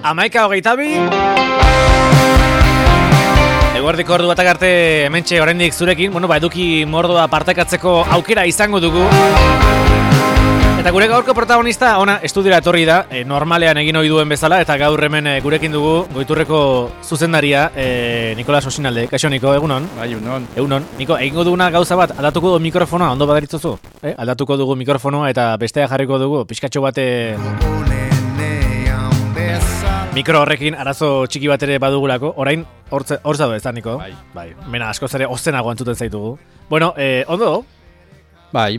11:22. Eguerdiko ordu batak arte hementxe oraindik zurekin, eduki mordoa partekatzeko aukera izango dugu. Eta gure gaurko protagonista ona estudiora etorri da, normalean egin ohi duen bezala, eta gaur hemen gurekin dugu Goiturreko zuzendaria, Nikolas Osinalde. Kaixo, Niko, egunon? Bai, egunon. Niko, egingo duguna gauza bat, aldatuko dugu mikrofonoa, ondo badaritzuzu? Aldatuko dugu mikrofonoa eta bestea jarriko dugu, pixkatxo bate... Mikro horrekin arazo txiki bat ere badugulako, orain hor zaude ez da, Niko? Bai. Mena, askoz ere ozenago entzuten zaitugu. Bueno, ondo? Bai.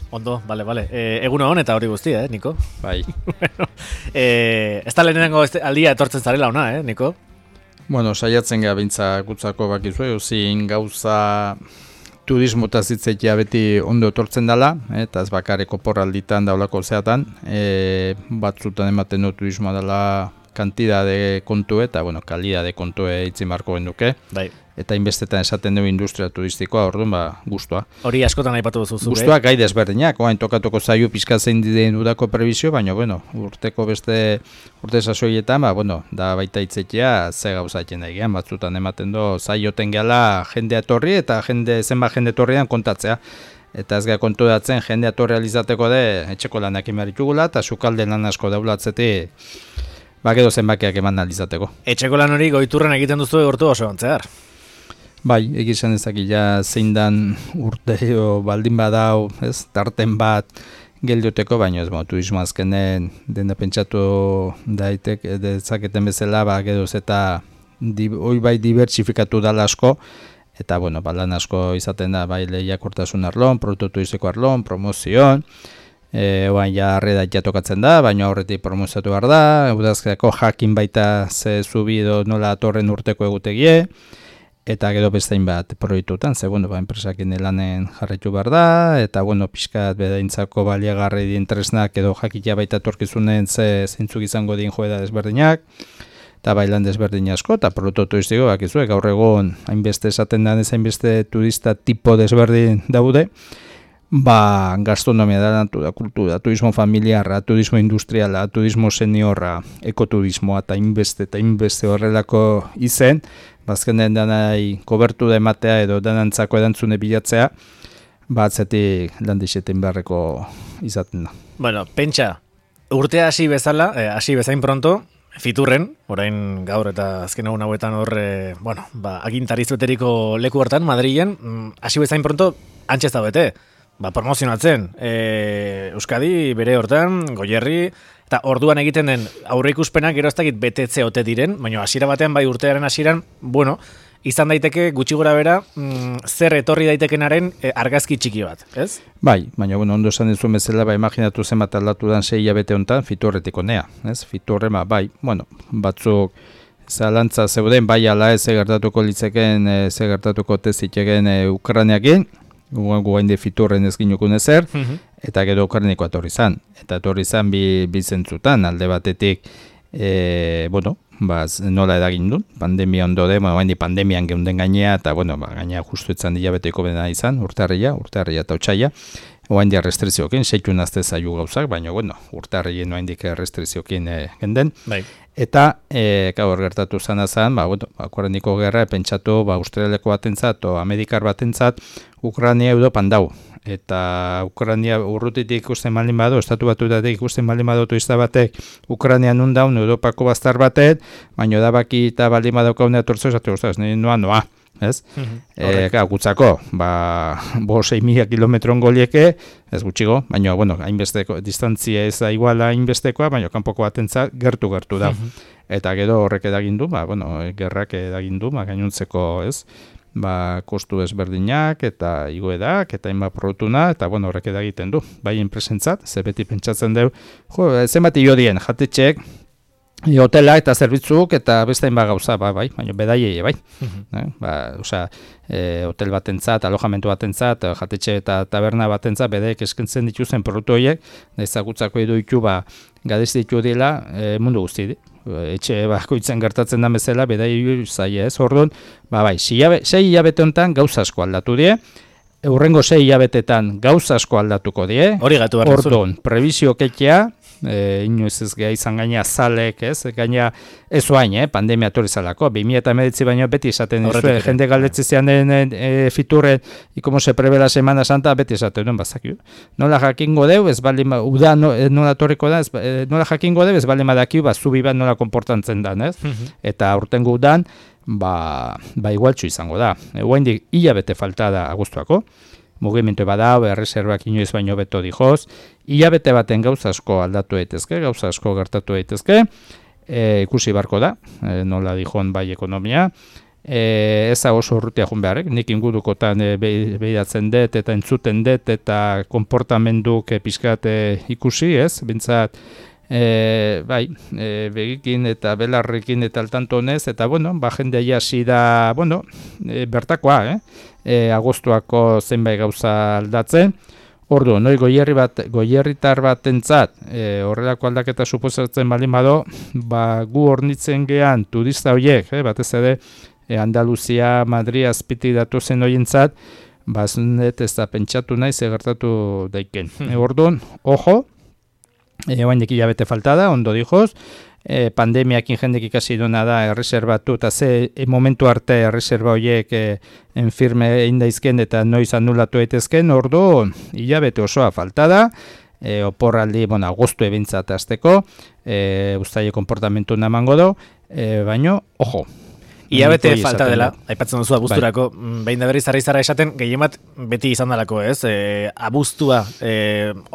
Ondo, bale. Egun hon eta hori guztia, Niko? Bai. Bueno, ez da lehenengo aldia etortzen zarela ona, Niko? Bueno, saiatzen gara bintza gutzako bakizue, zin gauza turismotaz hitzetia beti ondo etortzen dela, eta ez bakareko porralditan daulako zeatan, batzutan ematen du turismoa dela kantidade kontu eta, kalidade kontu itzi marko genduke. Bai. Eta inbestetan esaten dugu industria turistikoa, orduan, gustua. Hori askotan aipatu duzu. Gustua gai desberdinak, oain tokatuko zaio pizka zein diden dudako prebizio, baina, urteko beste urte sasoietan, da baita itzekia ze gauzatzen daigean, batzutan ematen du zaioten gehala jendea etorri eta zenbat jende etorrian kontatzea. Eta ez gara kontu datzen jendea etorri alizateko de etxeko lanak imeritugula eta sukalde lan asko daulatzetik edo zenbakiak eman alizateko. Etxeko lan hori Goiturren egiten duzu egortu oso antzear. Bai, egizan ezakila zein dan urteo baldin badau, tarten bat geldioteko, baina ez, turismo azkenen dena pentsatu daitek, dezaketen bezala, gedoz eta hoi bai dibertsifikatu dala asko, eta, lan asko izaten da, bai lehiakortasun arlon, produktu turistiko arlon, promozioan, oain ja arredat jatokatzen da, baina horretik promoziatu behar da, udazkeako jakin baita ze zubido nola atorren urteko egutegie, eta gero bestein bat proiektutan, ze, enpresakin lanen jarraitu behar da, eta, pixkat bedaintzako baliagarri dien tresnak edo jakitea baita torkizunen zeintzuk izango dien joeda desberdinak, eta bailan desberdin asko, eta produktu turistiko, bakizue, gaur egon hainbeste esaten da, hainbeste turista tipo desberdin daude, gastronomia da, kultura, turismo familiarra, turismo industriala, turismo seniorra, ekoturismoa eta inbeste horrelako izen, bazkenen danai kobertu da ematea edo danantzako erantzune bilatzea, atzetik landixeten beharreko izaten da. Pentsa, urtea hasi bezain pronto, Fiturren, orain gaur eta azken egun hauetan agintarizueteriko leku hortan, Madrilen, hasi bezain pronto, antxez da bete. Promozionatzen, Euskadi, bere hortan, Goierri, eta orduan egiten den aurreikuspenak gero ez dakit betetze ote diren, baina hasiera batean, bai urtearen hasieran, izan daiteke gutxi gora bera, zer etorri daitekenaren argazki txiki bat, ez? Bai, baina ondo esan dizuen bezala, imaginatu zenbat aldatu dan 6 hilabete honetan, Fiturretik onea, ez? Fiturre, batzuk zalantza zeuden, bai ala ez gertatuko litzeken, gertatuko teziteken Ukraniakin, guain de Fiturren ez ginukun ezer, eta gero Ukrainiko etorri zan. Eta etorri zan bi zentzutan, alde batetik, nola edagin du, pandemia ondo de, pandemian geunden gainea, eta gainea justu etzan dilabeteko bena izan, urtarria eta otsaila, oain dia restriziokin, seitun azte zaiu gauzak, baina urtarrien oain dik restriziokin genden. Bai. Eta, gaur gertatu zana zan, Ukrainiko gerra, pentsatu, Australiako batentzat, o Amerikar batentzat, Ukraina Europan dau. Eta Ukraina urrutitik ikusten malin badu, estatu batutatik ikusten malin badu turista batek, Ukraina nun daun, Europako baztar batek, baina edabaki eta baldin badaukaune atortzo, esatu guztaz, noa. Ez? Gutzako, 6.000 kilometron golieke, ez gutxigo, baina, hainbesteko, distantzia ez da iguala hainbestekoa, baina kanpoko batentzat gertu da. Eta gero horrek edagindu, gerrak edagindu, gainuntzeko, ez? Kostu ezberdinak eta igoedak eta hainbat produktuna eta horrek edagiten du. Bai enpresentzat, ze beti pentsatzen dugu, zenbat iodien, jatetxeek, hotela eta zerbitzuk eta beste hainbat gauza, baina bedaiei, bai. Hotel batentzat, alojamentu batentzat, jatetxe eta taberna batentzat, bedeek eskentzen dituzen produktu horiek, ezagutzako edo ditu, gadez ditu dela mundu guzti. Etxe bakoitzen gertatzen da bezala, bedai zaila ez, orduan, 6 hilabete honetan gauza asko aldatu die, Eurrengo 6 hilabetetan gauza asko aldatuko die. Hori gatu behar. Orduan, prebizio ketea, inoiz ez geha izan gaina zalek, ez? Gaina ez oain, pandemia etorri zalako, 2019 baino beti esaten dizue, jende galdetzizean fiturren, y como se prevé la Semana Santa, beti esaten duen bazakio. Nola jakingo deu, ez bali uda nola torriko da, nola jakingo deu, ez bali madakiu, zubi bat nola konportantzen dan, ez? Eta urtengo udan, igualtxu izango da. Oraindik hilabete falta da agustuako, mugimendu badau, erreserbak inoiz baino beto dijoz, hilabete baten gauza asko aldatu daitezke, gauza asko gertatu daitezke, ikusi barko da, nola dijon bai ekonomia, ez da oso urrutia joan beharrek, nik ingurukotan behiratzen dut eta entzuten dut eta konportamenduk pixkat ikusi, ez, bintzat, begikin eta belarrekin eta altantonez, eta jende hasi da, bertakoa, agostuako zenbait gauza aldatzen. Ordu, noi goierritar batentzat horrelako aldaketa suposatzen baldin bado, gu hornitzen gean turista horiek, batez ere Andaluzia, Madrid azpiti datu zen horientzat, bazunet ez da pentsatu nahi gertatu daiken. Orduan, ojo, oainek hilabete falta da, ondo dijoz, pandemiakin jendek ikasi duna da erreserbatu, eta momentu arte erreserba horiek enfirme egin daizken eta noiz anulatu daitezken, ordu hilabete osoa falta da, oporraldi, agostu ebintzat azteko, ustaile konportamentu namango do, baino, ojo. Iabete falta dela, aipatzen duzu abuzturako, behin da berriz arraizara esaten, gehiemat beti izan dalako, ez? Abuztua,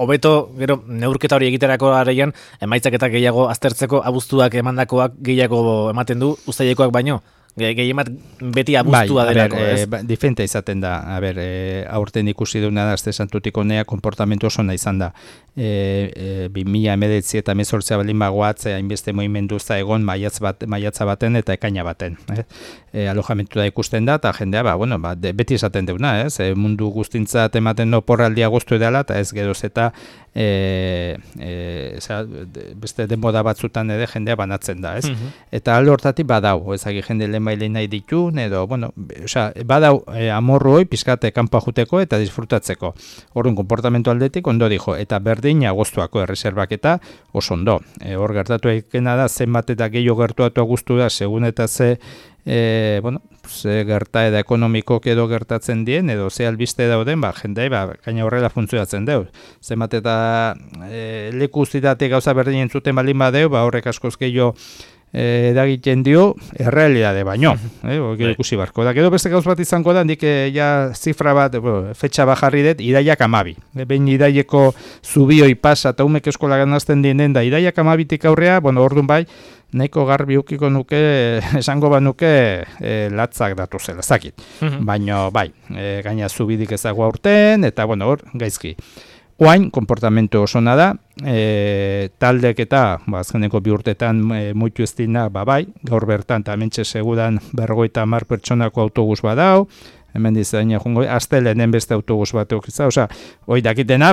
hobeto, gero, neurketa hori egiterako areian, emaitzak eta gehiago aztertzeko abuztuak emandakoak gehiago ematen du, uztailekoak baino. Gehiemat beti abuztua delako, ez? Diferente izaten da, aurten ikusi duna da, azte santutik honea, konportamentu oso nahi izan da. 2019 eta 2018 baldin bagoatze, hainbeste movimendu za egon maiatza baten eta ekaina baten. Alojamentu da ikusten da, eta jendea, beti izaten deuna, ez? Mundu guztintzat ematen oporraldi agostu edala, eta ez geroz eta beste denboda batzutan ere jendea banatzen da, ez? Eta alde hortatik badau, ezagi jende lehenbaile nahi ditun, edo, badau amorru hoi pizkate kanpa juteko eta disfrutatzeko. Horren konportamentu aldetik ondo dijo, eta berdin agostuako erreserbaketa oso ondo. Hor gertatu ekena da, zenbat eta gehiago gertuatu agustu da, segun eta ze gertaera ekonomikok edo gertatzen dien, edo ze albiste dauden, jendei, gaina horrela funtzionatzen deu. Zenbat eta leku uzitatik gauza berdin entzuten baldin badeu, horrek askoz gehiago edagiten dio, errealidade baino. Ikusi barko da. Gero beste gauz bat izango da, nik zifra bat, fetxa bajarri dut, idaiak 12. Behin idaieko zubioi pasa eta umek eskola ganazten dienen da, idaiak 12tik aurrea, orduan bai, nahiko garbi ukiko nuke, esango banuke latzak datu zela, zakit. Baina bai, gaina zubidik ezago aurten, eta hor, gaizki. Oain, konportamentu osona da, taldek eta, azkeneko 2 urtetan muitu ez dina, bai, gaur bertan, eta hementxe segudan 50 pertsonako autobus badau, hemen dizaina jungo, astelenen beste autobus bat eukitza, hoi dakitena,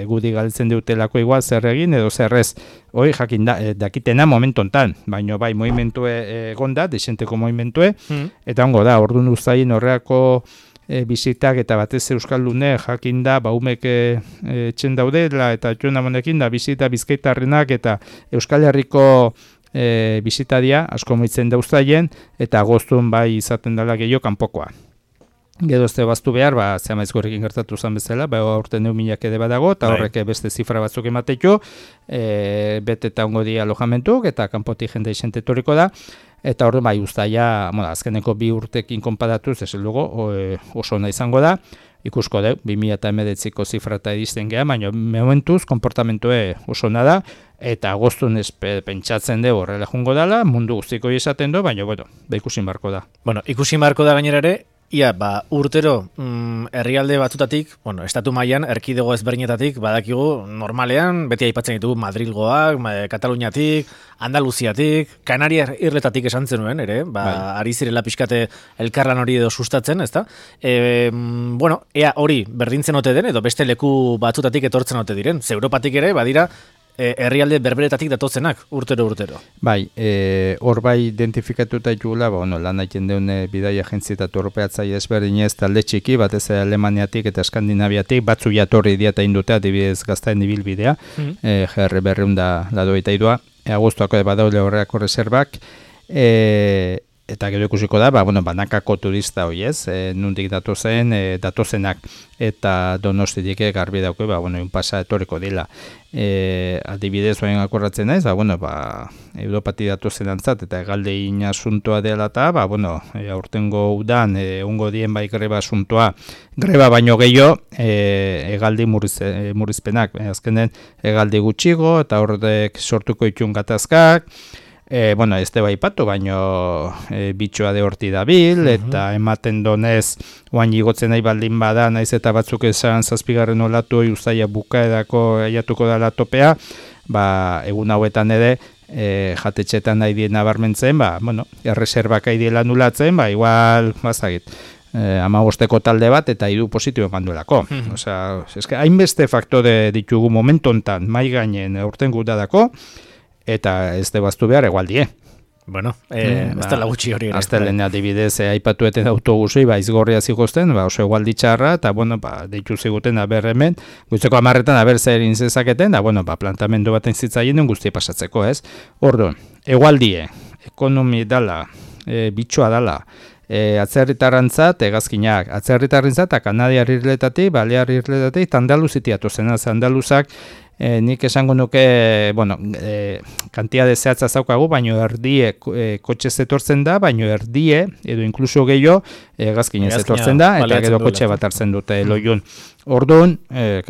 gudi galtzen dutelako igual zer egin, edo zerrez, hoi jakin dakitena momentu ontan, baina bai, movimentue egonda, desenteko movimentue, eta ongo da, orduan uzain horreako bizitak eta batez euskaldune jakin da umek etxen daudela eta joan amonekin da bizita bizkaitarrenak eta Euskal Herriko bizitadia asko moitzen dauztaien eta agostun bai izaten dela gehiago kanpokoa. Gero ez baztu behar, zehamaizkorrekin gertatu zen bezala, aurten 1.000 ede badago, eta horrek beste zifra batzuk emateko, bete eta ongo di alojamentuk, eta kanpotik jende isente etorriko da, eta hor uztaia, azkeneko 2 urtekin konparatuz, ez dugu, oso ona izango da, ikusko deu, 2019ko zifra eta edizten geha, baina momentuz, konportamentue oso ona da, eta agostun pentsatzen deu horrela jungo dela, mundu guztiko izaten du, baina, ikusin barko da. Ikusin barko da gainera ere, ia, urtero herrialde batzutatik, estatu mailan erkidego ezberdinetatik, badakigu normalean, beti aipatzen ditugu Madrilgoak, Kataluniatik, Andaluziatik, Kanariar irletatik esan zenuen, ere, ari zirela pixkate elkarlan hori edo sustatzen, ezta? Ea hori berdintzen ote den, edo beste leku batzutatik etortzen ote diren. Ze Europatik ere, badira, herrialde berberetatik datozenak, urtero. Bai, hor bai identifikatuta jugula, lan egiten deune bidai agentzieta torpeatzaile ezberdinez talde txiki, batez Alemaniatik eta Eskandinaviatik, batzu jatorri diata indutea, adibidez Gaztaen ibilbidea, GR berreunda ladoita idua, agostuako badaule horreako reservak, eta gero ikusiko da, banakako turista hoi ez, nundik datozenak, eta Donostitik garbi dauke, un pasa etoriko dila. Adibidez, oain akorratzen naiz, Europati datozen antzat, eta egalde asuntoa dela eta, aurtengo udan, ungo dien bai greba asuntoa, greba baino gehiago, egaldi murrizpenak, azkenen egaldi gutxigo, eta horrek sortuko itxun gatazkak, ez te baipatu, baino bitxoa de horti dabil, eta ematen donez, oain igotzen nahi baldin bada, naiz eta batzuk esan 7. olatu, uzaia bukaedako aiatuko da topea, egun hauetan ere, jatetxetan nahi dien nabarmentzen, erreserbak aidiela nulatzen, igual, bazagit, 15 talde bat eta 3 positibo emanduelako. Osea, hainbeste faktore ditugu momentu hontan mai gainen aurten gutadako, eta ez debaztu behar egualdie. Bueno, ez dela gutxi hori. Aztelen adibidez, aipatueten autobusui, izgorria zikosten, oso egualdi txarra, eta, deitu ziguten aber hemen, gutzeko 10etan aber zer inzezaketen, da, plantamendu baten zitzaien guzti pasatzeko, ez? Orduan, egualdie, ekonomi dala, bitxoa dala, atzerritarrantzat, egazkinak, atzerritarrantzat, eta kanadiar irletatik, balear irletatik, Andaluziti atozen, Andaluzak, nik esango nuke, kantiade zehatza zaukagu, baino erdie kotxe zetortzen da, baino erdie, edo inkluso gehiago, egazkinez zetortzen da, eta gero kotxe bat hartzen dute loiun. Orduan,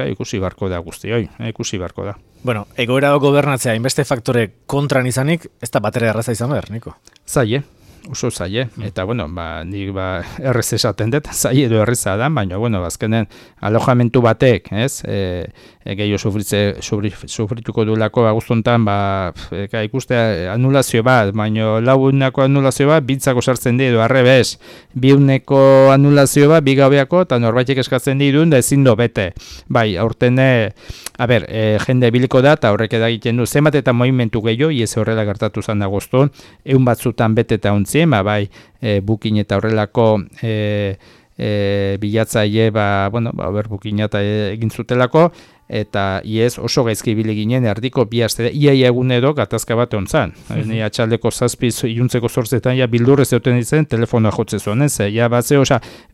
ikusi barko da guzti, ikusi barko da. Bueno, egoera gobernatzea, inbeste faktore kontran izanik, ez da batera erraza izan behar, Niko? Zaie. Oso zaie, eta nik errez esaten dut, zaie edo erreza da, baina, azkenen alojamentu batek, ez, gehiago sufrituko duelako agustuntan, ikuste anulazio bat, baina lagunako anulazio bat, bitzako sartzen di, edo arrebez, biuneko anulazio bat, bigabeako, eta norbaitek eskatzen di duen, da ezin do bete. Bai, aurten, jende biliko da, eta horrek edagiten du, zenbat eta movimentu gehiago, iez horrela gertatu zan agustun, egun batzutan bete eta bai, bukin eta horrelako bilatzaile, bukin eta egin zutelako, eta iez oso gaizki ibili ginen erdiko bi aste iaia egun edo gatazka bat ontzan. Ni atxaldeko 7 iluntzeko 8etan ja bildurrez egoten ditzen telefonoa jotze zuen, ez? Ja batze,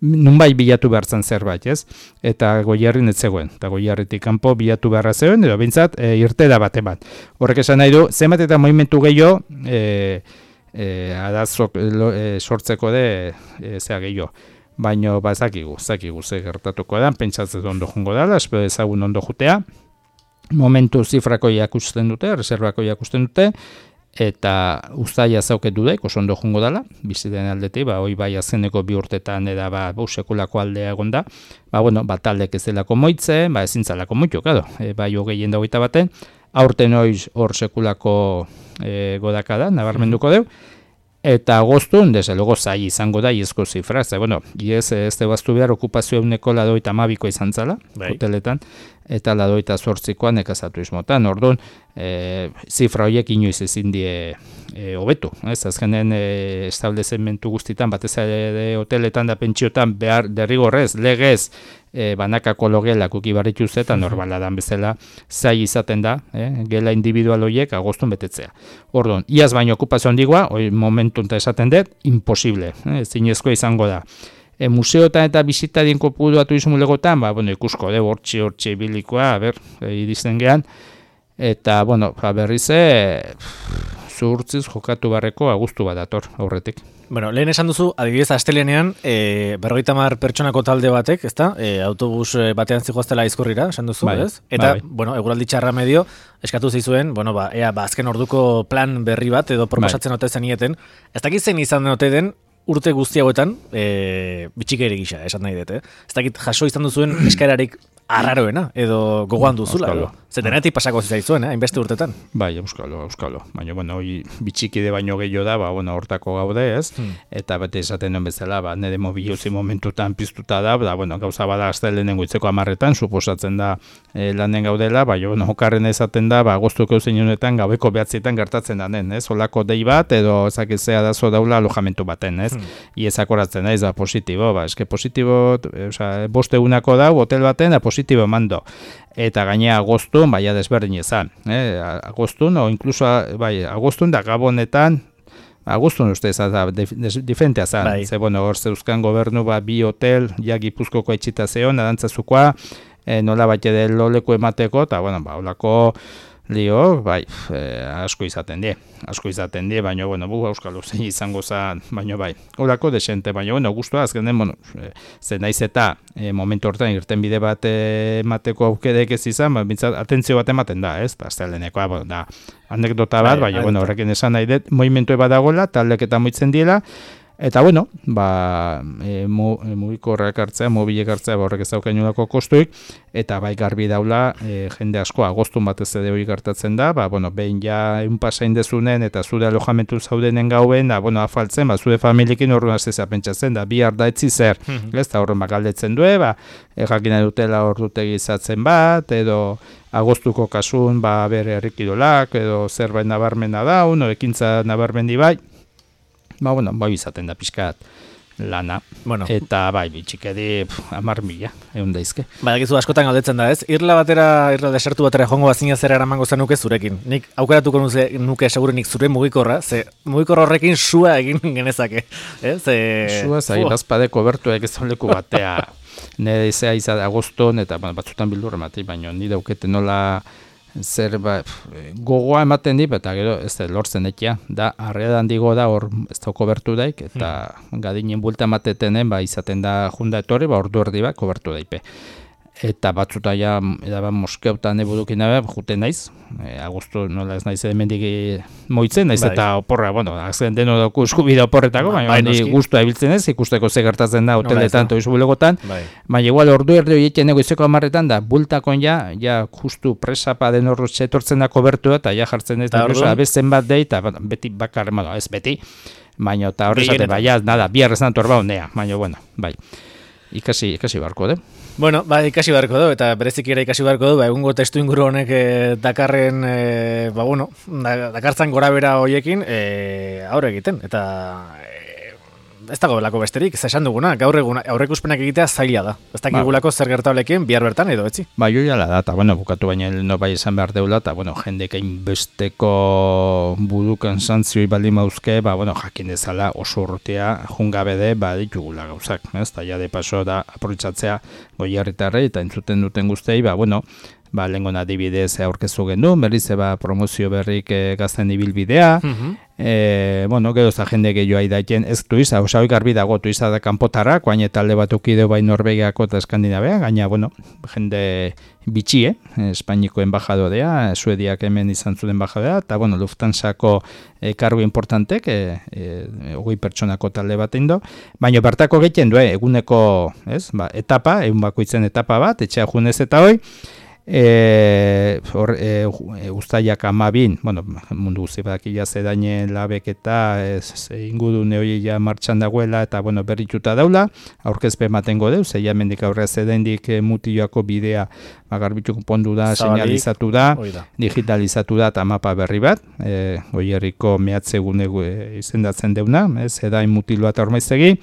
nunbait bilatu behartzen zerbait, ez? Eta Goierrin ez zegoen. Eta Goierritik kanpo bilatu beharra zegoen, edo bintzat irtera bat eman. Horrek esan nahi du, zenbat eta movimentu gehiago, adazok sortzeko de zea gehiago. Baina zakigu ze gertatuko da, pentsatzen ondo jungo dela, espero ezagun ondo jutea. Momentu zifrako jakusten dute, reservako jakusten dute, eta uztaia zauket dudek, oso ondo jungo dela, biziten aldetik, hoi bai azeneko 2 urtetan eda sekulako aldea egon da, taldek ez delako moitzen, ezin zalako moitu, bai hogeien da 21, aurten hor sekulako godaka da, nabarmenduko deu, eta agostun, desde luego, zai izango da iezko zifra, iez ez debaztu behar okupazio euneko 92 izan zala, hoteletan, eta 28koa nekazatu izmotan, orduan, zifra horiek inoiz ezin die hobetu, azkenen establezimentu guztitan, batez hoteletan da pentsiotan behar derrigorrez, legez, banakako logelak ukibarrituz eta normala dan bezala zai izaten da, gela individual horiek agostun betetzea. Orduan, iaz baino okupazio handigoa, momentu eta esaten dut, imposible, zinezkoa izango da. Museotan eta bisitarien kopurua turismo legotan, ikusko, hortxe bilikoa, iristen gehan, eta, berriz, zuhurtziz jokatu barreko agustu bat dator aurretik. Lehen esan duzu, adibidez, astelenean, 50 pertsonako talde batek, ezta? Autobus batean zigoaztela Aizkorrira, esan duzu, ez? Eta, eguraldi txarra medio, eskatu zizuen, azken orduko plan berri bat, edo proposatzen ote zenieten, ez dakit zein izan ote den, urte guzti hauetan, bitxikeri gisa, esan nahi dut, ez dakit jaso izan duzuen eskararik arraroena, edo gogoan duzula, edo? Ze denetik pasako zaitzuen, hainbeste urtetan. Bai, euskalo. Baina, bueno, hoi bitxikide baino gehiago da, bueno, hortako gaude, ez? Eta bete esaten duen bezala, nire mobiluzi momentutan piztuta da, bueno, gauza bada astelenen goitzeko 10etan, suposatzen da lanen gaudela, baina, bueno, okarren esaten da, agostuko zein honetan, gabeko 9etan gertatzen danen, ez? Olako dei bat, edo ezakizea dazo daula alojamentu baten, ez? Iezakoratzen da, ez da positibo, eske positibo, boste egunako da, hotel baten, da positibo mando. Eta gainea agostun, baina desberdin ezan. Agostun, o inkluso, agostun da gabonetan, agostun uste ezan da, diferentea zan. Ze, bueno, hor zeuzkan gobernu, bi hotel, ja Gipuzkoko etxita zeon, adantzazukoa, nola bat ere loleko emateko, eta, bueno, olako lio, asko izaten die, baina, bueno, auskalo zein izango zan, baina, olako desente, baina, bueno, guztua, azkenen, bueno, zen naiz eta momentu hortan irten bide bat emateko aukerek ez izan, bintzat, atentzio bat ematen da, ez? Aztelenekoa, bueno, da, anekdota bat, baina, bueno, horrekin esan nahi dut, movimentu bat dagoela, taldek eta moitzen diela, eta, bueno, mugikorrak hartzea, mobilek hartzea, horrek ez daukainulako kostuik, eta bai garbi daula, jende asko agostun batez ere hori gertatzen da, bueno, behin ja pasain dezunen, eta zure alojamentu zaudenen gauen, bueno, afaltzen, zure familiekin horren aztezea pentsatzen, da bihar da etzi zer, ez da horren galdetzen du, jakina dutela ordutegi izatzen bat, edo agostuko kasun, bere herrikidolak, edo zerbait nabarmena da, ekintza nabarmendi bai, bueno, izaten da pixkat lana, eta bitxikedi 10.000, egun daizke. Gizu askotan galdetzen da, ez? Irla desertu batera jongo bazina zera eramango zenuke zurekin. Nik aukeratuko nuke segurunik zure mugikorra, ze mugikorra horrekin sua egin genezake. Sua zai, bazpadeko bertuek ez leku batea. Nire izea izan agoston, eta batzutan bildur ematen, baina nire daukete nola zer gogoa ematen dip, eta gero ez da lortzen ekia, da arredan digo da hor ez da kobertu daik, eta gadinen bulta ematetenen izaten da junda etorri, ordu erdi bat kobertu daipe. Eta batzuta ja, moskeutan ebudukin dabe, juten naiz, agostu nola ez naiz emendik moitzen, naiz eta oporra, azken deno dauku eskubide oporretako, baina guztua ebiltzen ez, ikusteko ze gertatzen da hoteletan, toizu bulegotan, baina igual ordu erdi horieten egoizeko 10etan da, bultakon ja justu presapa den horrotxe etortzen da kobertu eta ja jartzen ez, abezen bat dei, eta beti bakar, ez beti, baina eta horrezate, biarrez nantor baunea, baina, ikasi barko, ikasi beharko du, eta bereziki ere ikasi beharko du, egungo testu inguru honek dakarren, dakartzan gora bera hoiekin, aurre egiten, eta ez dago belako besterik, esan duguna, gaur egun aurreikuspenak egitea zaila da. Ez dakigulako zer gertablekin bihar bertan edo etzi. Joiala da, eta bukatu baina esan behar deula, eta jendek hainbesteko budukan santzioi baldin mauzke, jakin dezala oso urrutea jungabede ditugula gauzak. Eta ja de paso da aprobetxatzea Goierritarrei eta entzuten duten guztei, lehengon adibidez aurkezu gendu, berriz promozio berrik gazten ibilbidea, gero za jende gehiago aidaiten, ez tuiza, hori garbi dago tuiza da kanpotarrak, guain talde bat ukideo bai Norvegiako eta Eskandinavea, gaina, jende bitxie, Espainiko embajadorea, Suediak hemen izan zuen embajadorea, eta, Lufthansako kargu importantek, 20 pertsonako talde bat indo, baina bertako gehien du, eguneko, etapa, egun bakoitzen etapa bat, etxea junez eta hoi, Uztaiak 12, mundu guzti badakila zedaine labek eta ingudune hori ja martxan dagoela eta berrituta daula, aurkezpe ematengo deu, zeia mendik aurrea zedaindik mutilloako bidea garbituko pondu da, señalizatu da, digitalizatu da eta mapa berri bat, Goierriko mehatzegune izendatzen deuna, zedain mutiloa eta ormaizegi,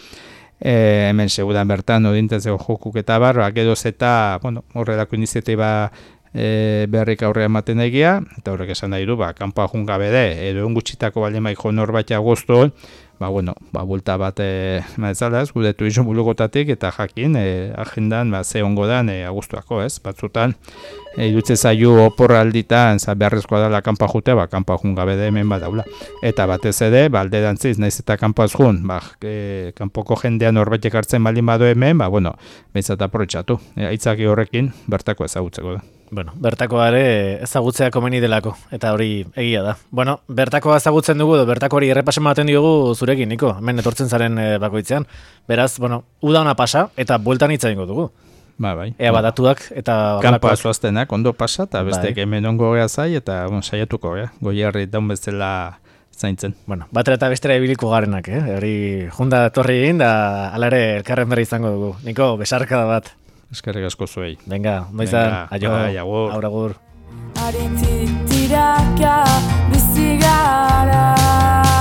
hemen segudan bertan odintatzeko jokuk eta barra, gedoz eta horrelako iniziatiba berrik aurrea ematen egia, eta horrek esan nahi du, kanpoa jungabede, edo egun gutxitako baldin maiko norbaita agosto, bulta bat maetzalaz, gure tuizu bulugotatik, eta jakin, agendan, ze ongo dan agostuako, batzutan, idutze zaiu oporra alditan, beharrezkoa dela kanpoa jutea, kanpoa jungabede hemen badaula. Eta batez ere, alde dantziz, naiz eta kanpoaz jun, kanpoko jendean norbaitek hartzen baldin badu hemen, behintzat aprobetxatu. Aitzaki horrekin, bertako ezagutzeko da. Bertakoa ere ezagutzea komeni delako, eta hori egia da. Bertakoa ezagutzen dugu, bertako hori errepasen baten diogu zurekin, Niko, hemen etortzen zaren bakoitzean. Beraz, uda ona pasa, eta bueltan hitza egingo dugu. Bai. Ea badatuak eta Kanpoa zoaztenak ondo pasa, eta bestek bai. hemen ongo gea zai, eta saiatuko gea, Goierri daun bezala zaintzen. Bueno, batera eta bestera ibiliko garenak, hori junda torri egin, da alare elkarren berri izango dugu. Niko, besarkada bat. Eskerrik asko zuei. Venga, ondo izan, aio, agur. Aritzitiraka bizi gara.